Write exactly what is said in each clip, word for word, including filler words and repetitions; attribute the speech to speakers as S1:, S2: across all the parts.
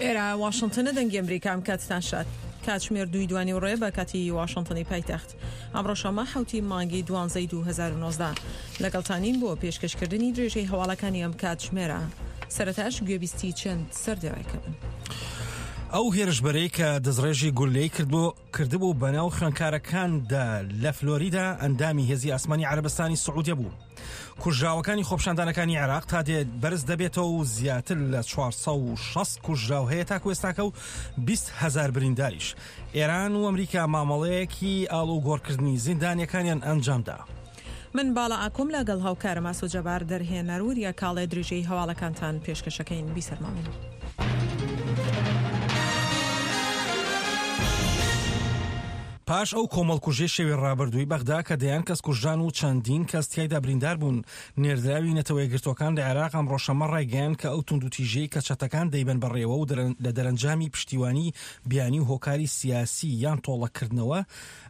S1: ئێرە واشنتنە، دەنگی ئەمریکا. ئەم کاتتان شاد. کاتژمێر دووی دوانی ڕێ بە کاتی واشنتنی پایتەخت. ئەمڕۆ شەممە حەوتی مانگی دوانزەی دوو هەزار و نۆزدە لەگەڵتانین بۆ پێشکەشکردنی درێژەی هەواڵەکانی ئەم کاتژمێرە. سەرەتاش گوێبیستی چەند سەردێڕێکە بن.
S2: ئەو هێرشبەرەی کە دەستڕێژی گوللەی کردبوو بەناو خوێندکارەکاندا لە فلۆریدا ئەندامی هێزی ئاسمانی عەرەبستانی سعودیە بوو. کوژراوەکانی خۆپیشاندانەکانی عێراق تا دێت بەرز دەبێتەوە و زیاتر لە چوار سەد و شەست کوژراو هەیە تاکو ئێستاکە و بیست هەزار برینداریش. ئێران و ئەمریکا مامەڵەیەکی ئاڵوگۆڕکردنی زیندانیەکانیان ئەنجامدا.
S1: من باڵا ئاکۆم لەگەڵ هاوکارم ئاسۆ جەبار دەرهێنەر وریا کاڵێ درێژەی هەواڵەکانتان پێشکەشەکەین. بیسەرماون.
S2: پاش ئەو کۆمەڵکوژیەی شەوی ڕابردووی بەغدا کە دەیان کەس کوژران و چەندین کەس تیایدا بریندار بوون، نێردراوی نەتەوە یەکگرتووەکان لە عێراق ئەمڕۆ شەممە ڕایگەیاند کە ئەو توندوتیژیەی کە چەتەکان دەیبەن بەڕێوە و لە دەرەنجامی پشتیوانی بیانی و هۆکاری سیاسی یان تۆڵەکردنەوە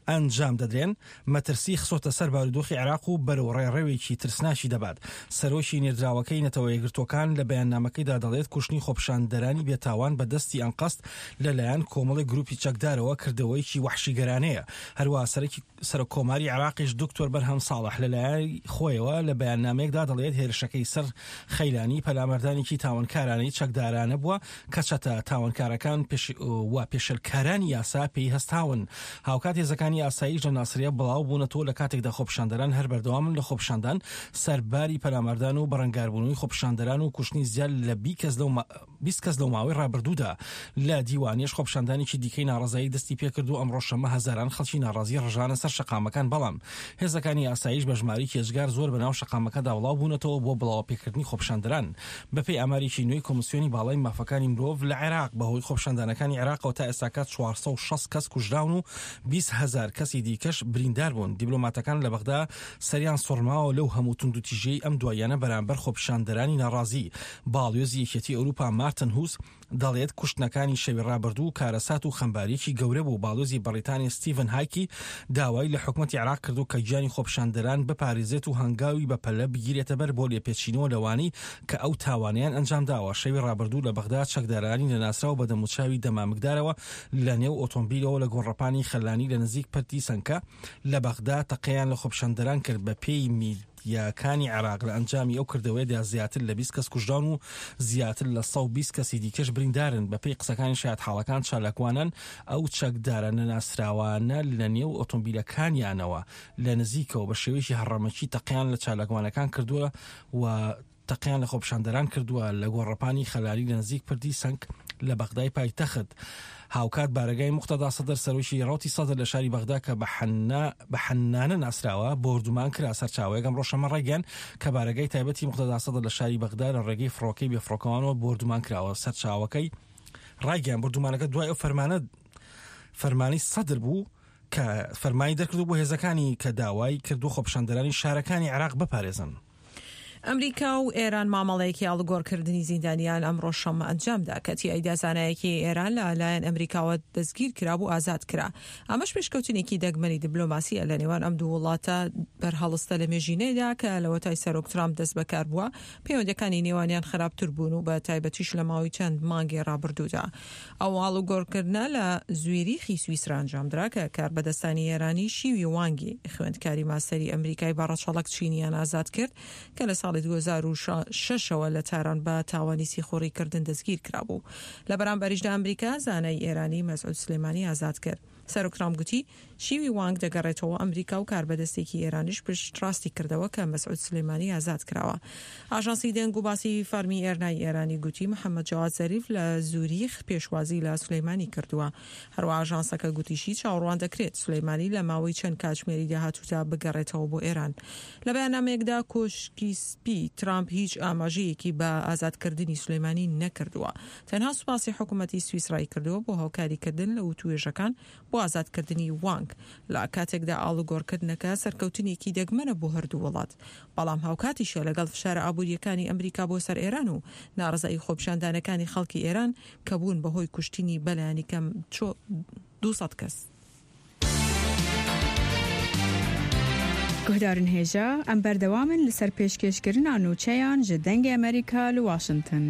S2: ئەنجام دەدرێن، مەترسی خسۆتە سەر بارودۆخی عێراق و بەرەو ڕێڕەوێکی ترسناکی دەبات. سەرۆکی نێردراوەکەی نەتەوە یەکگرتووەکان لە بەیاننامەکەیدا دەڵێت کوشتنی خۆپیشاندەرانی بێتاوان بە دەستی ئەنقەست لەلایەن کۆمەڵی گروپی چەکدارەوە کردەوەیەکی وەحشیگەرانەیە. هەروەها سەرەکی سەرۆک کۆماری عێراقیش دکتۆر بەرهەم ساڵح لەلایەن خۆیەوە لە بەیاننامەیەکدا دەڵێت هێرشەکەی سەر خەیلانی پەلاماردانێکی تاوانکارانەی چەکدارانە بووە کە چەتە تاوانکارەکان و پێشلکارانی یاسا پێی هەستاون. هاوکات هێزەکانی ئاسایش لە ناسریە بڵاو بوونەتەوە لە کاتێکدا خۆپیشاندەران هەر بەردەوامن لە خۆپیشاندان سەرباری پەلاماردان و بەڕەنگاربوونەوەی خۆپیشاندەران و کوشتنی زیاد لە بیست کەس لەو ماوەی ڕابردوودا. لە دیوانیش خۆپیشاندانێکی دیکەی ناڕەزایی دەستی پێکرد و ئەمڕۆ شەممە هەزاران خەڵکی ناڕازی ڕژانە سەر شەقامەکان، بەڵام هێزەکانی ئاسایش بە ژمارەیەکی ئێجگار زۆر بەناو شەقامەکەدا بڵاو بوونەتەوە بۆ بڵاوەپێکردنی خۆپیشاندەران. بەپێی ئامارێکی نوێی کۆمیسیۆنی باڵای مافەکانی مرۆڤ لە عێراق بەهۆی خۆپیشاندانەکانی عێراقەوە تا ئێستاکە چوار سەد و شەست کەس کوژراون و بیست هەزار کەسی دیکەش بریندار بوون. دیبلۆماتەکان لە بەغدا سەریان سوڕماوە لەو هەموو توندوتیژیەی ئەم دواییانە بەرامبەر خۆپیشاندەرانی ناڕازی. باڵیۆزی یەکێتی ئەوروپا مارتن هوس دەڵێت کوشتنەکانی شەوی ڕابردوو کارەسات و خەمباریەکی گەورە بوو. باڵیۆزی بەڕیتانیا ستیڤن هایکی داوای لە حکومەتی عێراق کردو کە گیانی خۆپیشاندەران بپارێزێت و هەنگاوی بەپەلە بگیرێتە بەر بۆ لێپێچینەوە لەوانەی کە ئەو تاوانیان ئەنجامداوە. شەوی ڕابردوو لە بەغدا چەکدارانی نەناسراو بە دەموچاوی دەمامکدارەوە لە نێو ئۆتۆمبیلەوە لە گۆڕەپانی خەلانی لە نزیک پردی سەنکە لە بەغدا تەقەیان لە خۆپیشاندەران کرد. بە پێی میدیاکانی عێراق لە ئەنجامی ئەو کردەوەیەدا زیاتر لە بیست کەس کوژران و زیاتر لە سەد و بیست کەسی دیکەش بریندارن. بەپێی قسەکانی شایەتحاڵەکان چالاکوانان ئەو چەکدارە نەناسراوانە لە نێو ئۆتۆمبیلەکانیانەوە لە نزیکەوە بە شێوەیەکی هەڕەمەکی تەقیان لە چالاکوانەکان کردووە و تەقیان لە خۆپیشاندەران کردووە لە گۆڕەپانی خەلاری لە نزیک پردی سەنگ لە بەغدای پایتەخت. هاوکات بارەگای موقتەدا سەدر سەرۆکی ڕەوتی سەدر لە شاری بەغدا کە بە حەنانە ناسراوە بۆردومان کرا. سەرچاوەیەک ئەمڕۆ شەممە ڕایگەیاند کە بارەگای تایبەتی موقتەدا سەدر لە شاری بەغدا لە ڕێگەی فڕۆکەی بێفڕۆکەوانەوە بۆردومان کراوە. سەرچاوەکەی ڕایگەیاند بۆردومانەکە دوای ئەو فەرمانە فەرمانی سەدر بوو کە فەرمانی دەرکردو بۆ هێزەکانی کە داوای کردو خۆپیشاندەرانی شارەکانی عێراق بپارێزن.
S1: ئەمریکا و ئێران مامەڵەیەکی ئاڵوگۆڕکردنی زیندانیان ئەمڕۆ شەممە ئەنجامدا کە تیایدا زانایەکی ئێران لە لایەن ئەمریکاوە دەستگیر کرابوو ئازاد کرا. ئەمەش پێشکەوتنێکی دەگمەنی دیبلۆماسیە لە نێوان ئەم دوو وڵاتە بەرهەڵستە لە مێژینەیدا کە لەوەتای سەرۆک ترامپ دەست بەکار بووە پەیوەندەکانی نێوانیان خراپتر بوون و بە تایبەتیش لە ماوەی چەند مانگی ڕابردوودا. ئەو ئاڵوگۆڕکردنە لە زویریخی سویسرا ئەنجامدرا کە کاربەدەستانی ئێرانی شیوی وانگی خوێندکاری ماستەری ئەمریکای بە ڕەچەڵەک چینیان ئازاد کرد کە لە ساڵی دوو هەزار و شەش لە تاران بە تاوانی سیخوڕیکردن دەستگیر کرابوو. لە بەرامبەریشدا ئەمریکا زانای ئێرانی مەسعود سلێمانی ئازاد کرد. سەرۆک ترامپ گوتی شیوی وانگ دەگەڕێتەوە ئەمریکا و کاربەدەستێکی ئێرانیش پشتڕاستی کردەوە کە مەسعود سلێمانی ئازاد کراوە. ئاژانسی دەنگ و باسی فەرمی ئێرنای ئێرانی گوتی محەممەد جەواد زەریف لە زوریخ پێشوازی لە سولەیمانی کردووە. هەروە ئاژانسەکە گوتیشی چاوەڕوان دەکرێت سولەیمانی لە ماوەی چەند کاتژمێری داهاتوودا بگەڕێتەوە بۆ ئێران. لە بەیاننامەیەکدا کۆشکی سپی ترامپ هیچ ئاماژەیەکی بە ئازادکردنی سولەیمانی نەکردووە، تەنها سوپاسی حکوومەتی سویسرای کردووە بۆ هاوکاریکردن لە وتوێژەکان بۆ ئازادکردنی وانگ. لە کاتێکدا ئاڵوگۆڕکردنەکە سەرکەوتنێکی دەگمەنە بۆ هەردوو وڵات، بەڵام هاوکاتیشە لەگەڵ فشارە ئابووریەکانی ئەمریکا بۆ سەر ئێران و ناڕەزایی خۆپیشاندانەکانی خەڵکی ئێران کە بوون بەهۆی کوشتنی بەلایەنی کەم دوو سەد کەس.
S3: گوهدارن هێژا ئەم بەردەوامن لەسەر پێشکێشکردنا نوچەیان ji دەنگی ئەمریکا لە واشنگتن.